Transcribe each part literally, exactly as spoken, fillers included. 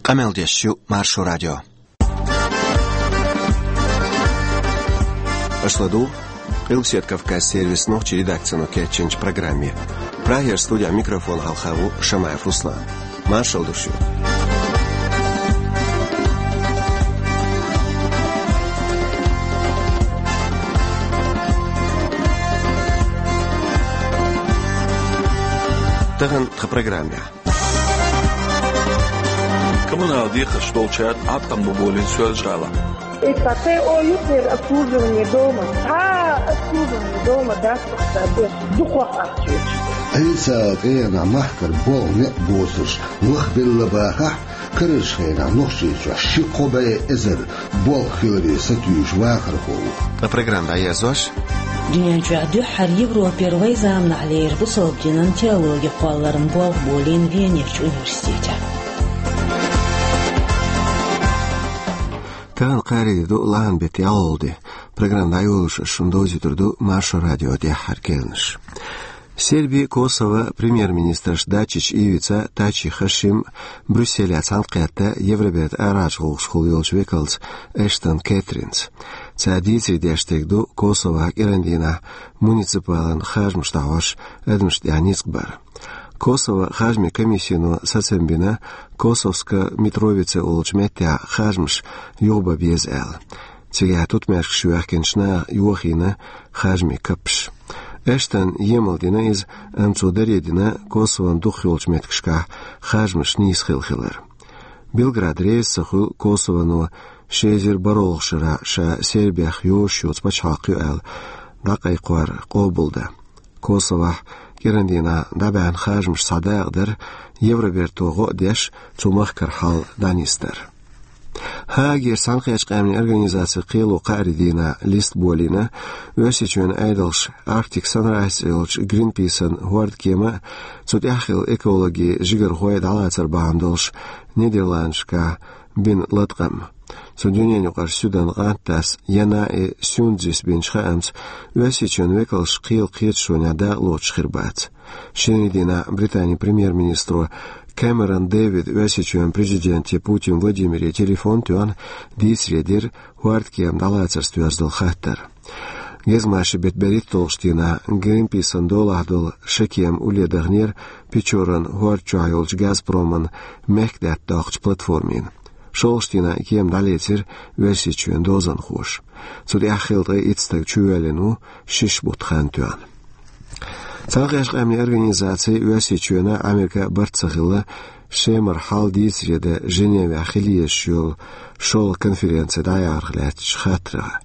Къамел деш ю Маршо радио. Аша ладугӀу Къилбаседа Кавказан сервисан нохчийн редакцино кечйинчу программе. Прагера студехь микрофон хьалха ву Шамаев Руслан. Маршалла ду шуьга. Тахана тхан программехь. Коммуналан декхарш долчара Ӏаткъам бу болийна Соьлжа-ГӀалахь. И тӀаккха о юххера обслуживание дома. Цхьа обслуживание дома дац тхо ца беш, дукхох ахча. Ӏийса къена махкара болх некъ боцурш лахбелла бахахь, карарчу хенахь Нохчийчохь ши-кхо бӀе эзар болх хиларе сатуьйсуш вахархо ву. Ткъа программа дӀаерзош. Дуьнен чохь дуьххьара Европера вайн заманахь лерина бусалба динан теологи кхолларан болх болийна Венерчу университетехь. Тахана кхаарин де ду, лахьан беттан ялхалгӀа де. Программа дӀайолош ас шуна довзуьйтур ду Маршо радион тӀаьххьара кхаьънаш. Сербин, Косовон премьер-министраш Дачич Ивица, Тачи Хашим Брюсселехь цхьаьнакхетта Евробертан арахьарчу гӀуллакхашкахула йолчу векалца Эштон Кэтринца. Цара дийцаре деш дерг ду Косовохь кӀиран дийнахь муниципалан харжамаш дӀахьош адамашна тӀехь ницкъ бар. Косовон харжамийн комиссино сацам бина Косовска Митровица олучу меттехь харжамаш юхабан беза аьлла. Цигахь тутмешкаш йоьхкинчу наха йохийна харжамийн каппаш. Эштона емал дина иза, амма цо даре дина Косовон дукхах йолчу меттигашкахь харжамаш нийса хилла хилар. Белград реза ца хуьлу Косовоно ши эзар бархӀолгӀачу шарахь ша Сербех йозуш йоцу пачхьалкх ю аьлла дӀакхайкхор къобалдан. Косовохь кӀиран дийнахь дӀабаьхьна харжамаш цхьа дакъа дара, Евроберто гӀо а деш, цу махкара хьал дӀанисдар. Гаагера Цхьаьнакхеттачу Къаьмнийн Организацин кхело кхаарин дийнахь листа болийна Оьрсийчоьнан Ӏедалша Arctic Sunrise цӀе йолчу Гринписан хӀордкема а, цу тӀехь хилла экологин жигархой дӀалацар бахьана долуш Нидерландашкахь бина латкъам. Цу дуьненаюкъара суьдан къантдас Янаи Сюндзис бинчу хаамца, Оьрсийчоьнан векалш кхелан кхеташонехь дакъалоцуш хир бац. Шинарин дийнахь Британин премьер-министро Кэмерон Дэвида Оьрсийчоьнан президенте Путин Владимире телефон а тоьхна, дийцаре дира хӀордкема дӀалацарца доьзна долу хаттар. Гезгмашин беттан берхӀитталгӀачу дийнахь Гринписан долахь долу ши кема улле дахнера Печоран хӀорда чохь йолчу Газпроман мехкдаьтта доккхучу платформина. ШолгӀачу дийнахь и кема дӀалецира Оьрсийчоьнан дозанхоша. Цу тӀехь хилла ткъе итт стаг чувоьллина ву, шишша бутт хан тоьхна. Цхьаьнакхеттачу Къаьмнийн Организаци Оьрсийчоьнан а, Американ а барт ца хилла, Шемара хьал дийцаре дан Женевехь хила езаш йолу шолгӀа конференци дӀаярх лаьттачу хаттарх.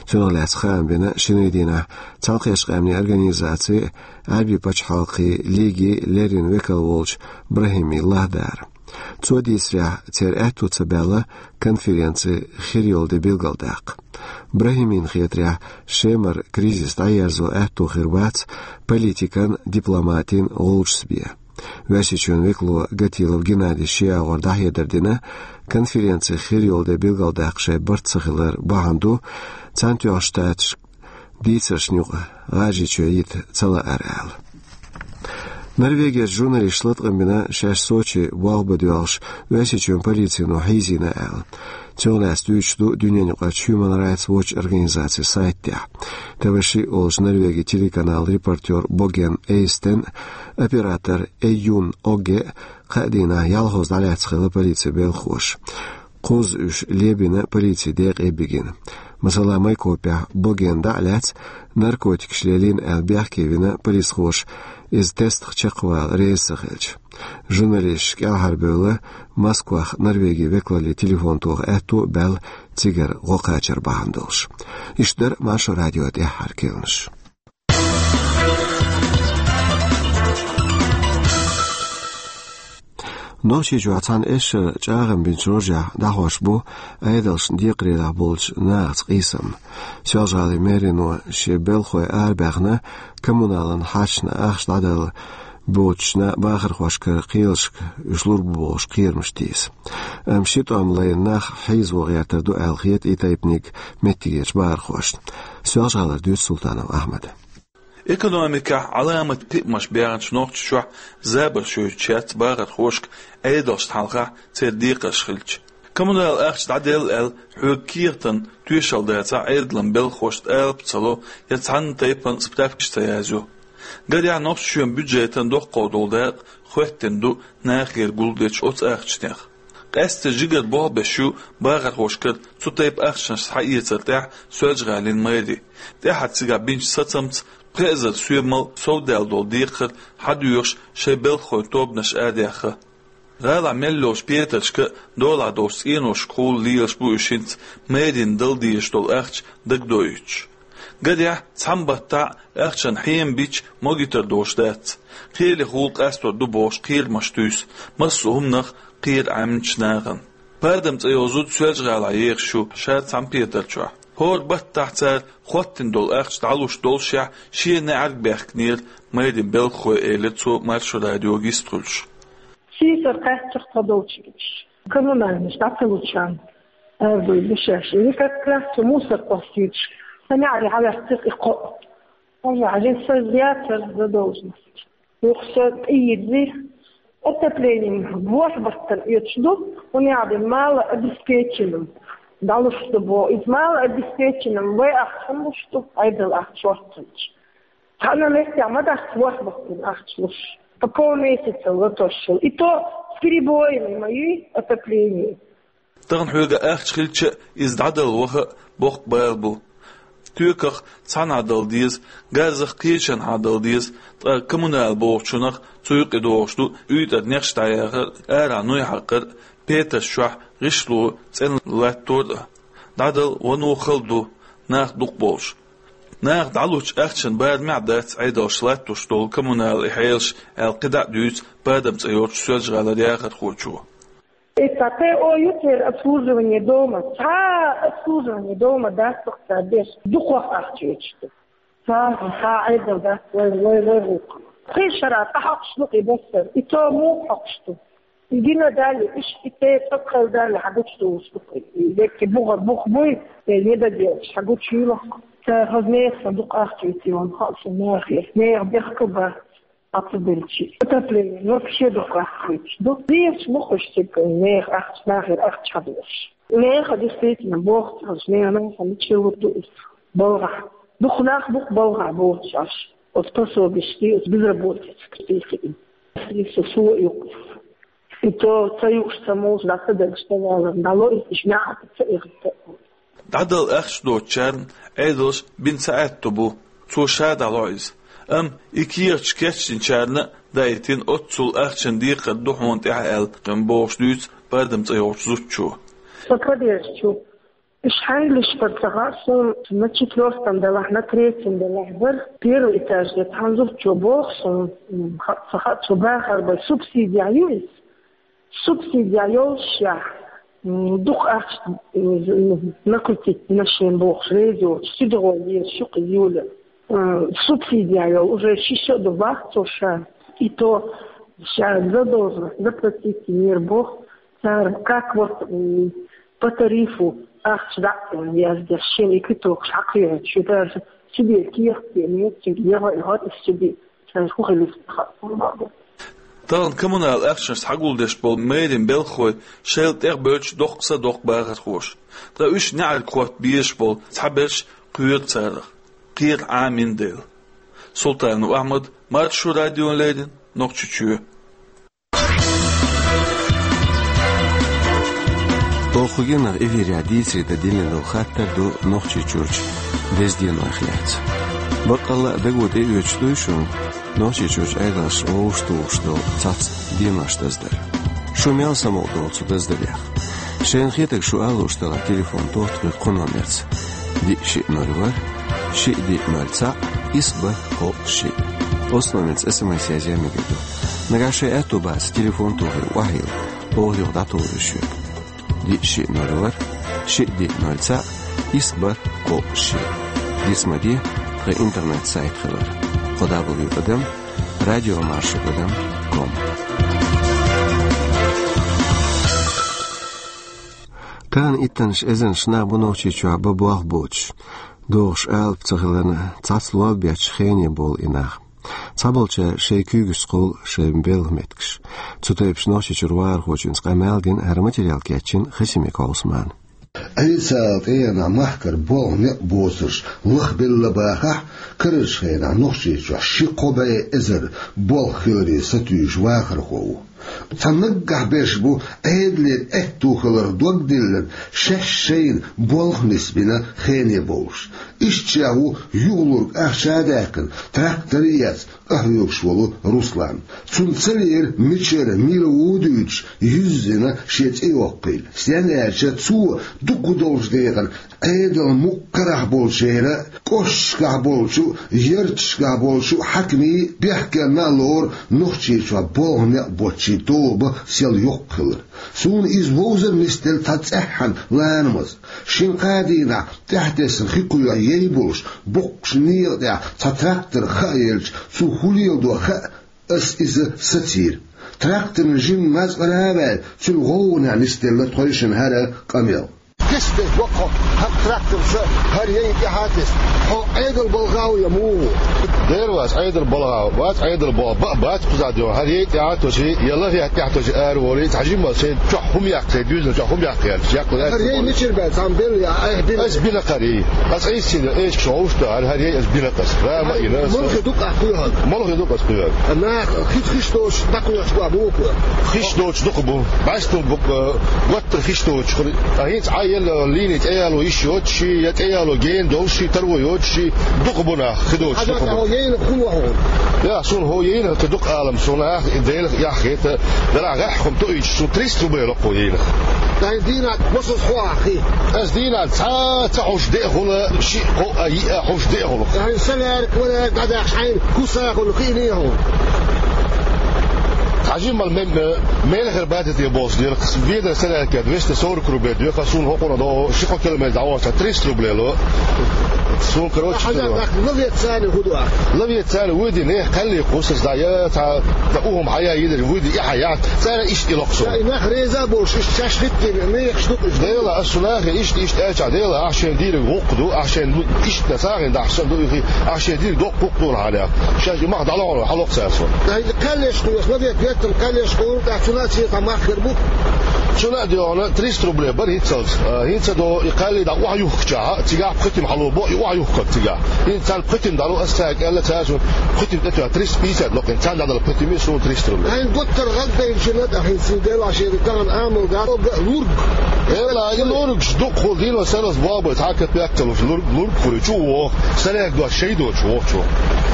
Цунах лаьцна хаам бина шинарин дийнахь Цхьаьнакхеттачу Къаьмнийн Организацин, Ӏаьрбийн пачхьалкхийн лигин леррина векал волчу Брахими Лахдара. Цо дийцарехь, церан аьтто ца баьлла конференци хир йолу де билгалдаккха. Брахимина хетарехь, Шемара кризис дӀаерзо аьтто хир бац политикан, дипломатин гӀулчаш бен. Оьрсийчоьнан векало Гатилов Геннадий шен агӀор дӀахьедар дина, конференци хир йолу де билгалдаккха шайн барт ца хилар бахьана ду, Цхьаьнатоьхначу Штаташка дийцаршна юкъа ГӀажарийчоь йита ца лаар аьлла. Норвегерчу журналисташа латкъам бина шаьш Сочи болх бан доьлхуш Оьрсийчоьнан полицино хьийзийна аьлла. Цунах лаьцна дуьйцуш ду дуьненаюкъарчу Human Rights Watch организацин сайтехь. ТВ шиъ олучу Норвегин телеканалан репортёр Боген Эйстен, оператор Эйюн Огге кхаа дийнахь ялхазза дӀалаьцна хилла полицин белхахоша. Кхузза уьш лебина полицин декъе бигина. Масала, Майкопехь Боген дӀа а лаьцна, наркотикаш лелийна аьлла бехке вина полисхоша иза тестах чекхвала реза ца хилча. Журналисташ кӀелхьарбевлла, Москвахь Норвегин векалле телефон тоха аьтто а баьлла, цигара гӀо кхачар бахьана долуш. Иштта дара Маршо радион тӀаьххьара кхаьънаш. Нохчийчохь цхьана эшшара чӀагӀам бинчу рожехь дӀахьош бу Ӏедалшна декхарийлахь болчу нахаца къийсам. Соьлжа-ГӀалин мэрино шен белхахой арабаьхна, коммуналан хьашташна ахча дӀадала боцучу бахархошкара кхелашка уьш лур бу бохуш кхерамаш тийса. Амма ши тӀом лайна нах хьийзаво гӀертар ду аьлла хета и тайпаниг меттигерчу бахархошна. Соьлжа-ГӀалара дуьйцу Султанов Ахьмада. Экономикехь Ӏаламат кхиамаш баьхначу Нохчийчохь забарш йойтуш яц бахархошка Ӏедалшна хьалха церан декхарш хилча. Коммунал ахча дӀаделла аьлла, хьоьга кехатан тоьшалла дацахь, Ӏедалан белхахошна алапа ца ло я цхьана тайпана справкаш ца язйо. Гарехь, Нохчийчоьнан бюджетан доккхах долу дакъа хоьттина ду нахера гулдечу оцу ахчанех. Къаьсттина жигара болх беш ю бахархошкара цу тайпа ахчанаш схьаэцар тӀехь Соьлжа-ГӀалин мэри. ТӀаьхьа цигахь бинчу сацамца пхи эзар соьмал совдаьлла долу декхар хьадоьхуш шайн белхахойн тобанаш арадаьхна. ГӀалахь мел йолчу петаршка а, долахь долчу цӀеношкахула лелаш бу уьш хӀинца мэрина дала дезаш долу ахча дагадоуьйтуш. Гарехь, цхьана баттахь а ахчанан хьема бича могуьйтур долуш дац. Кхелехула къастор ду бохуш кхерамаш туьйсу массо а хӀуманах кхера Ӏеминчу нахана. Пардам цӀе йолу зуда Соьлжа-ГӀалахь ехаш ю ша цхьана петар чохь. ХӀора баттахь цара хоттина долу ахча дӀалуш доллушехь, шен неӀарга баьхкинера мэрин белхахой, элира цо Маршо радиога йистхуьлуш. Сийсара кхаьччахь ца долчу гича, коммунальнаш дӀа ца лучарна, аьлла, дешаьш, или как раз цу мусор кхоссуьйтуш, сан неӀаре хьаваьккхира и кхоъ. Хьажа, хьажа, сан яцара задолженность. Юха сан тӀеийзира, отоплением ворхӀ баттана оьцуш ду, хӀунда аьлча малообеспеченным дӀалуш ду боху. Иза малообеспеченным вай ахча хӀунда луш ду, Ӏедал ахча хӀоттийча. Цхьана меттехь ма дац ворхӀ баттана ахча луш, по полмесяца латошшал. И то с перебоями ма ю отопление. Тахана хьоьга ахча хилча а, иза дӀадала ваха а боккха бала бу. Тоьках цхьанхьа дала деза, газах кхечанхьа дала деза, ткъа коммунал бохучунах цу юкъе догӀуш ду уьйтӀара нехаш дӀаяхар а, арахь нуй хьакхар а, петарш чохь гӀишло, цӀена латтор а. ДӀадала вано хала ду, нах дукха болуш. Наха дӀалучу ахчанан барамехь а дац Ӏедалша латтош долу коммунал и хьелаш, аьлла кхидӀа а дуьйцу Пардам цӀе йолчу Соьлжа-ГӀалара яхархочо. Это Т О ю церан обслуживание дома. Цхьа обслуживание дома дац цара деш, дукхох ахча оьцуш ду. Цхьа, цхьа Ӏедал дац вай, вай, вай гӀуллакх. Кхин шарахь къахьоькхуш ду-кх и бассар, и то муха хьоькхуш ду. И гина дале, иштта и те цӀа кхайла дале, хьан гучу долуш ду-кх и. И деккхий бугӀар бух буй, те не дадеш, хьан гучуйла-кх. Цара хаза нехан дукха ахча оьций ван хаьа сан нахе. Нехан бехк а бац. Ацу делчи. Отопление вообще дукха ахча хилча ду. Дезаш бу уьш цига, нехан ахча, нахера ахча хьадоьхуш. Нехан действительно боху ца хилча, нехан нахана чилур ду иза. БалгӀахь. Дукха нах бу-кх балгӀахь бохуш Ӏаш. Оцу пособишкий, оцу безработица кхетий хиъна. Со, со а ю-кх иза. И то ца юуш, ца молуш, дӀа ца дагаш, ца валар, дӀало иза, иштта неӀарга ца эхарта. ДӀадала ахча доцучарна Ӏедалша бина ца аьтту бу, цо ша дӀало иза. Амма и кехаташ кечдинчарна а даийтина, оццул ахчанан декхар ду хьуна тӀехь аьлла, кхин бохуш дуьйцу Пардам цӀе йолчу зудчо. Со поддержу. Уьш хьаьнгли бара ца хаьа суна, на четвёртом делахь, на третьем делахь бара. Первый этаж де цхьана зудчо боху суна, м, ха-, ца хаьа, цо бахархой субсидия ю иза. Субсидия йолушехь, м, дукха ахча, м, накрутить дина шена бохуш, реза йоцуш, сидгӀо езаш ю-кх иза, Юля. М, субсидия йолу уже шиша а ду боху цо ша. И то ша задолженность заплатить йинера боху, цара как вот, м, по тарифу ахча дӀа а яздеш, шена и квитокаш хьакхоьхьуьйтуш ю, даже себе кехат а ца йо, цига яха а йохуьйтуш себе. Сан хӀун хилира ца хаьа. Тахана коммунал ахчанаш схьагулдеш болу мэрин белхахой шайл тӀехбевлча доккха са доккху бахархоша. Ткъа уьш неӀарга хӀотта безаш болу цхьаберш кхоьру царах, кхера Ӏамийна дела. Султанов Ахьмад, Маршо радиона леррина, Нохчийчоь. Оха геннара эфирехь дийцаре дан диллина долу хаттар ду Нохчийчуьрчу деза денойх лаьцна. Баккъалла а даго тӀеоьцуш дуй шуна Нохчийчуьрчу Ӏедалша вовшахтухуш долу цхьацца денош даздар. Шу мел самукъадолу цу даздарехь? Шайна хетарг шу ала лууш делахь, телефон тоха тхоьга кху номерца: диъ шиъ ноль ворхӀ, шиъ диъ ноль цхьаъ, исс бархӀ кхоъ шиъ. Оцу номерца СМС язъян мегар ду. Нагахь шайн аьтто бацахь, телефон тохий, охьайилла, оха юха дӀатухур ю шуьга. Диъ шиъ ноль ворхӀ, шиъ диъ ноль цхьаъ, исс бархӀ кхоъ шиъ. Диц ма де тхан интернет-сайт хилар: кхо дабл ю тӀадам радиомаршо тӀадам ком. Тахана иттаннаш эзарнаш нах бу Нохчийчохь бан болх боцуш. догӀуш алапа ца хиларна, цхьацца лоабош хене болу и нах. Цхьаболчара шайн куьйгашца кхуллу шайн белхан меттигаш. Цу тайпанаш Нохчийчуьра вахархочуьнца къамел дина, хӀара материал кечйина Хасимиков Ӏусмана. Ӏийса тӀегӀанехь махкара болх некъ боцурш лахбелла бахахь, карарчу хенахь Нохчийчохь ши-кхо бӀе эзар болх хиларе сатуьйсуш вахархо ву. Цхьа наггахь берш бу Ӏедалера аьтту хиларх дог диллина, шаьш шайна болх нисбина хене бовлуш. Ишттачех ву юхалург ахча а даьккхина, трактор а эцна, къахьоьгуш волу Руслан. Цунна ца лиира, мичара, мила ву дуьйцуш, юьззина шен цӀе йоккхийла. Стенна аьлча, цо дукха долчу декъана Ӏедалан мукъ карахь болчеран, кӀошташкахь болчу, ярташкахь болчу хьаькамийн, бехкенна а лору Нохчийчохь болх некъ боцчийн тоба сел йоккха хилар. Суна иза вовзар нисделла цхьа цӀеххьана ланамаза. Шина-кхаа дийнахь тӀаьхьатесна хи кхоьхьу яй болуш, боккхачу некъа тӀехь цхьа трактор хаа елча, цо хӀун леладо хаа, ас иза сацийра. Тракторна жимма мазкъара а ваьлла, цуьнан гӀовгӀанехь нисделла тхойшинна хӀара къамел. Кестеш боккху хьан тракторца хӀара яйна тӀаьхьа а тесна. Хьо Ӏедал балха ву я муха ву? Дера вац, Ӏедал балха вац, Ӏедал бо-, ба-, бац кхузахь дегӀо. ХӀара яй тӀаьхьа а тосий, я лахе тӀаьхьа тосий ара волий, цхьа жимма шайн чохь хӀума яккхий, дуьзна чохь хӀума яккхий аьлла, яккхий. ХӀара яй мичара баьлла, цхьамма белла я, айхьа бина? Ас бина кхара. Ас айса ца йина, эшкаш хьовш ду, хӀара, хӀара яй ас бина кхара. Рама а йина ас. Молхе дукха ахь кхоьхьарг? Молхе дукха ас кхоьхьарг. Нах хи-, хиш доцуш дӀакхоьхьуш бу муха? Хиш доцуш дукха бу. Баьстун бу, э, готтара хиш доцуш хуьлу. Ткъа хӀинца Ӏа елла линий тӀеяло йиш йоцуш, я тӀеяло гена долуш, таро йоцуш, дукха бу нах, хи доцуш дукха бу. Хьажа, хьо яйнах хӀун ло хьуна? Я, суна хӀо яйнах ца дукха алам, суна нах и Делах эхь хета, делахь гӀеххьа хӀума тоуьйтуш, суна триста рублей ло хӀо яйнах. Ткъа хӀинца дийнахь масаза хьо ахь хи? Ас дийнахь цхьа а ца хьуш деа хула, шиъ, кхоъ а, йиъ а хьуш деа хула. Ткъа хӀинца солярка, валярка дӀадахча хьайна хӀусахула хиъний хьуна? Хьажи мала ме-, ме-, мелхар баьтта тӀе болуш дера, ведар солярка двести сорок рублей доьху, суна хӀокхунна догӀу, ши-кхо километр дӀавахча триста рублей ло. Суна, короче, хьажа, лавец царна хӀун ду ахь? Лавец царна вуй дина, кхаьллий кхуссарш дӀа, я цхьа, дан ухӀум хьаяйа йидира, вуй дина, и хьаяхьа. Цара иштта и локху суна. И нах реза болуш, иштта шаьш хӀиттийна, мехаш ду-кх иза. Дела, ас цу нахе иштта, иштта аьлча, Дела, ахь шен дийриг гӀуллакх ду, ахь шен иштта сагӀина дахьаш санна ду, и хи, ахь шен дийриг доккха гӀуллакх ду хьан яхь. Шаьш и мах дӀалохьур, хьалокх цара суна. Ай, кхаьллеш кхуьйсу, ма вет, веттам кхаьллеш кхуьйсу, тӀаккха цунах цхьа мах хир бу. Цунна а доьгӀна, триста рублей бара хӀинццалц. А, хӀинца до и кхаьллий дӀа охьаюхкучахьа, цигахь пхи тима хьало бо, и охьаюхкарг цигахь. ХӀинца царна пхи тима дӀало, ас цаьрга аьлла, цара суна пхи тима тӀе тоьхна, триста пятьдесят ло-кх хӀинца, царна дӀадала пхи тима, суна триста рублей. Хьайн гуттар гӀаддайначунна тӀе хӀинца, Делахь шен тахана Ӏамал дац, лург. Дела, и лургаш дукха хула дийно сарралц богӀу бай, цхьа капек ца луш, лург, лург хуьлий чу а вогӀу, сарралц дош шай доцуш вогӀу чу.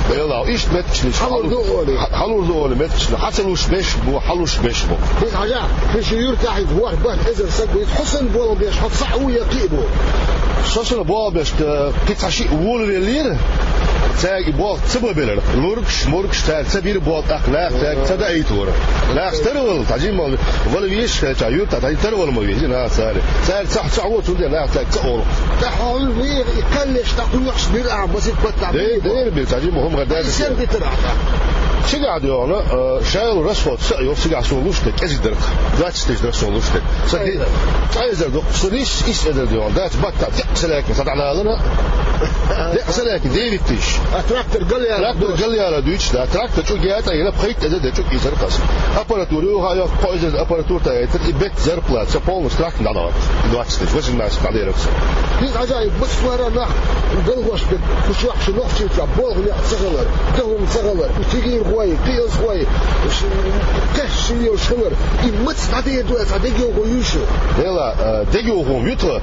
Дела, иштта меттигашна хьалур ду олий. Хьалур ду олий меттигашна. Хьан ца луш беш бу, хьан луш беш бу. ХӀинца хьажахь, хӀинца шу юьртахь хӀинца ворхӀ-бархӀ эзар саг ву, хьо санна болх беш, хьо цхьаъ ву я кхин а бу? Со санна болх беш, э, кхин цхьа шиъ волавеллера, цаьрга и болх ца бан белира. Лургаш, мургаш, цара ца бира болх, тӀаккха наха цаьрга ца даийта вара. Нах тарвала, тхьажимма вала везаш хилча, юьртахь тхьажи тарвала ма веза, нах цара. Цара цхьа, цхьа ву, цундела нах цаьрга ца олу. ТӀаккха хьо вехаш и кхаьллеш дӀакхуьйхьаш бира ахьа, масех баттахь бира бо. Дера бира, тхьажимма хӀума хӀара даьржа. Сен дитар ахьа? Цигахь доьгӀна, э, шайла расход са а йо, цигахь суна луш дерг, кӀезиг дара суна луш дерг. Сан ди-, ткъа эзар ду, сан исс, исс эзар доьгӀна. Дац баттахь декъ салаьки, сан дӀадалана. Декъ салаьки, девять тысяч. А трактор галъяла? Трактор галъяла дуьйцуш, да. Трактор чӀу гетӀа йина, пхийтта эзар де чӀу кийсар кхас. Аппаратура юха йо, кхо эзар аппаратура тӀе яйтар, и бетта зарплата, сан полностью трактор дӀадала. Двадцать тысяч, восемнадцать дӀадерг сан. Иза хьажа, и бус вара нах, белхош бе, кху чохь шу Нохчийчохь болх некъ ца хилар, дан хӀума ца хилар, и тигирхой, кхиазхой, ш-, теш ши йолуш хилар, и маца дӀадер ду аса, дегайовхо юй шу? Дела, э, дегайовхо ю тхан,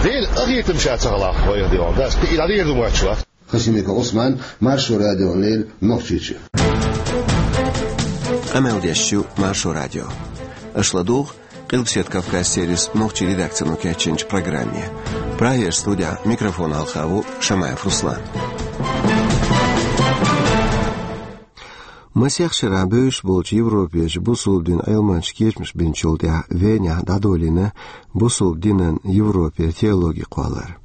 Дела къахетам ша ца хилахь, вайх дегӀан, дас, и дӀадер ду моьттуш вац. Хасимиков Ӏусман, Маршо радиона леррина, Нохчийчу. Къамел деш ю Маршо радио. Аша ладугӀу Къилбаседа Кавказ сервисан нохчийн редакцино кечйинчу программе. Прагера студехь микрофон хьалха ву Шамаев Руслан. Масех шарахь бевзаш болчу Европерчу бусалба динан Ӏилманчаша кечамаш бинчул тӀаьхьа Венехь дӀадолийна бусалба динан Европера теологи кхоллар.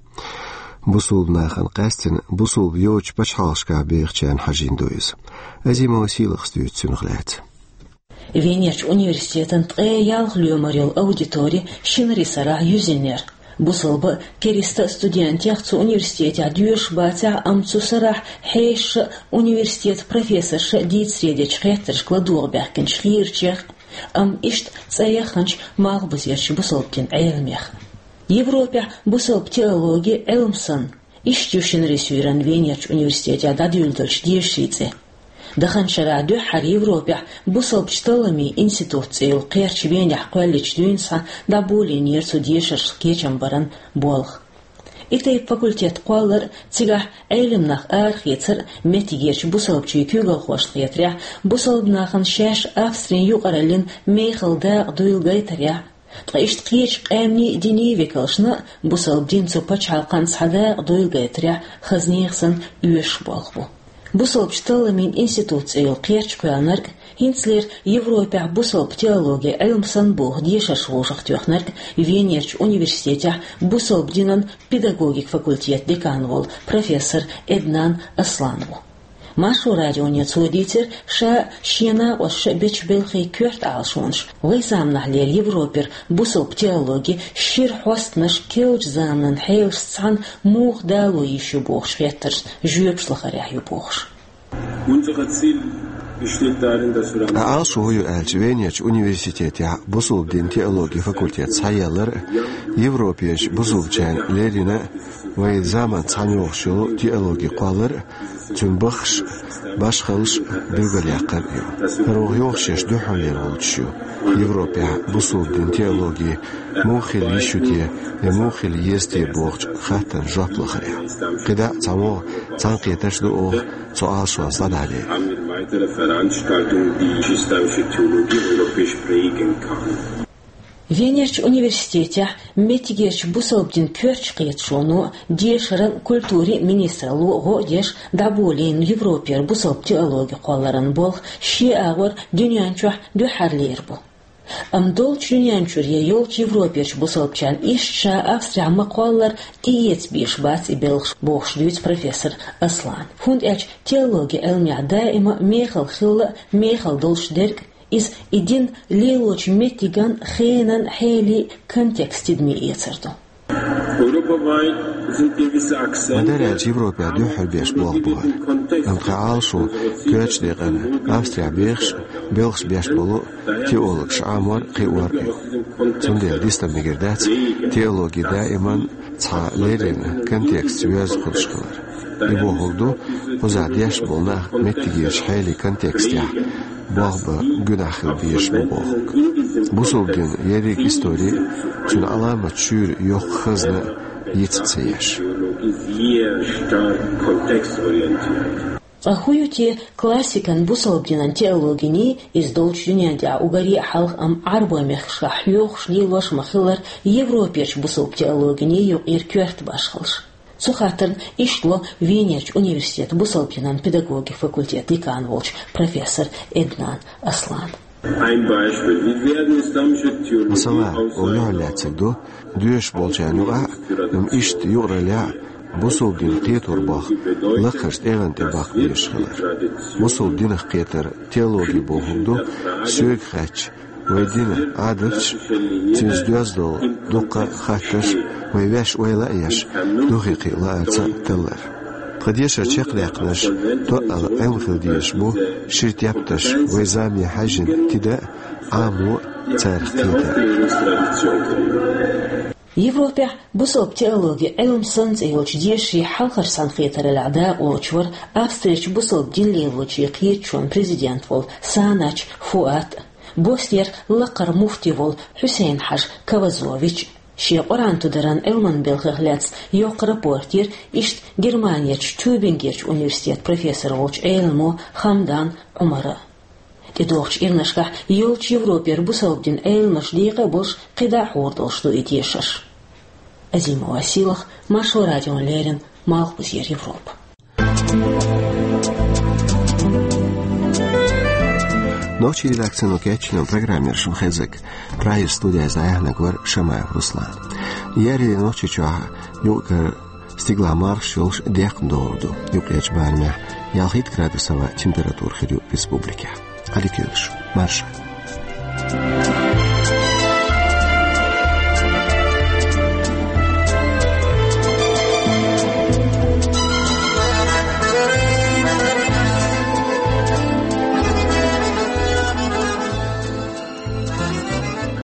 Бусалба нахана къаьстина бусалба йоцучу пачхьалкхашкахь бехачарна хьажийна ду иза. Азимова Сийлахьас дуьйцу цунах лаьцна. Венерчу университетан ткъе ялх лоьмар йолу аудитори шинарин сарахь юьзийнера. Бусалба, кериста студентех цу университетехь доьшуш бацахь а, амма цу сарахь хьешаша а, университетан профессорша а дийцаре дечу хеттаршка ладогӀа баьхкинчу хийрачех, амма иштта цӀа яхханчу малхбузерчу бусалба динан Ӏеламех. Европехь бусалба теологи Ӏилма санна, иштта ю шина ресуран Венерчу университетехь дӀадуьйладелчу дешарийн цӀе. Даханчу шарахь дуьххьара Европехь бусалбачу талламийн институт цӀе йолу кхерч Венехь кхоьллинчу дуьйна схьа дӀаболийнера цу дешаршна кечам баран болх. И тайпа факультет кхоллар а, цигахь Ӏеламнах арахецар а меттигерчу бусалбачийн куьйгалхошна хетарехь, бусалба нахана шаьш Австрин юкъараллин мехала дакъа дуйла гайтарехь, ткъа иштта кхечу къаьмнийн а, динийн а векалшна а бусалба дин цу пачхьалкхана схьа дакъа дуйла гайтарехь хаза нехан санна оьшуш болх бу. Бусалбачу талламийн институт цӀе йолу кхерч кхоьллинарг а, хӀинцалера Европехь бусалба теологи Ӏилма санна боху дешарш вовшахтоьхнарг а Венерчу университетехь бусалба динан педагогик факультет декан волу профессор Эднан Аслан ву. Маршо радионе цо дийцира, ша а, шен накъосташа а бечу белхийн коьрта Ӏалашонаш вайн заманахьлера Европера бусалба теологи шира хьостанаш керлачу заманан хьелашца цхьаьна муха дало йиш ю бохучу хеттаршна жоьпаш лахарехь ю бохуш. Ткъа Ӏалашо хӀун ю аьлча, Венерчу университетехь бусалба динан теологин факультет схьаеллар а, Европерчу бусалбачарна леррина а вайн заманца цхьаьна йогӀуш йолу теологи кхоллар а, цуьнан баххаш а, башхаллаш а билгалъяккхар а ю. ХӀара ваха йогӀуш йолуш дуьххьарлера волчу ю Европехь бусалба динан теологи муха хила йиш ю те я муха хила еза те бохучу хаттарна жоп лахарехь. КхидӀа а цхьа вогӀу цхьаьнакхетарш а ду оха цу Ӏалашонца дӀадахьа дела. Haben wir weitere Veranstaltungen, die die islamische Theologie europäisch prägen kann. Венерчу университетехь меттигерчу бусалба динан коьртачу кхеташоно, дешаран, культурин министралло гӀо а деш дӀаболийна Европера бусалба теологи кхолларан болх шен агӀор дуьнен чохь дуьххьарлера бу. Амма долчу дуьнен чуьра я йолчу Европерчу бусалбачарна иштта ша Австрехь ма-кхоллара тӀеэца безаш бац и белхаш бохуш дуьйцу профессор Аслана. ХӀунда аьлча теологин Ӏилмехь даима мехала хилла а, мехала долуш дерг а, иза и дин лелочу меттиган, хенан, хьелин контекст тидаме эцар ду. Ма дара аьлча Европехь дуьххьара беш болх бу хӀара. Амма тхан Ӏалашо коьртачу декъана Австрехь бехаш а, белхаш беш болу а теологаш Ӏамор а, кхиор а ю. Цундела дистам мегар дац теологи даиман цхьа леррина контекстца йоьзна хуьлуш хилар. И бохург ду, кхузахь деш болу нах меттигерчу хьелин контекстехь болх бан гуьнахь хила безаш бу бохург. Бусалба динан ерриг истори а, цуьнан Ӏаламат шуьйра йоккха хазна а йицъян ца еш. Ткъа хӀун ю те классикан бусалба динан теологиний, иза долчу дуьнен тӀехь уггаре а хьалха, амма Ӏарбойн мехкашкахь хьоьхуш, лелош ма-хиллара, Европерчу бусалба теологиний юкъара коьрта башхаллаш? Цу хаттарна иштта ло Венерчу университетан бусалба динан педагогин факультетан декан волчу профессор Эднан Аслана. Ein Beispiel. Wie werden islamische Theologie Масала, aus оха юьхьарлаьцнарг ду, доьшуш болчарна юкъахь а, амма иштта юкъараллехь а бусалба динан кхетор боху лакхарчу тӀегӀан тӀе баккха безаш хилар. Бусалба динах кхетар теологи бохург ду, соьга хаьттича, вайн динан Ӏадаташ а, цуьнца доьзна долу дуккха а хаттарш а вай ваьш ойла а еш, духе кхин лаарца а таллар. Тхан дешаран чекхдаьккхинарш тоъал Ӏилма хила дезаш бу, шира тептарш вайн замане хьаьжжина тида а, Ӏамо а, царах кхета а. Европехь бусалба теологи Ӏилма санна цӀе йолчу дешарийн хьалхарчу цхьаьнакхетараллехь дакъалоцуш вара Австрерчу бусалба дин лелочийн кхеташонан президент волу Санач Фуат а, Боснера лакхара муфти волу Хьусейн-Хьаьжа Кавазович а. Шен Къуръан тударан Ӏилманан белхех лаьцна йоккха рапорт йира иштта Германерчу Тюбингерчу университетан профессор волчу Ӏеламо Хамдан Ӏумара. ТӀедогӀучу ирнашкахь йолчу Европера бусалба динан Ӏеламаш декъа а болуш, кхидӀа а хьур долуш ду и дешарш. Азимова Сийлаха, Маршо радиона леррина, Малхбузера Европа. Нохчийн редакцино кечйинчу программера шуна хезарг. Прагера студехь дӀаяьхьнарг вара Шамаев Руслан. Еарин Нохчийчохь юкъара стигалахь мархаш йолуш декхна догӀур ду. Юккъерчу барамехь ялхитта градус аван температура хир ю республикехь. Ӏадика йойла шун. Марша.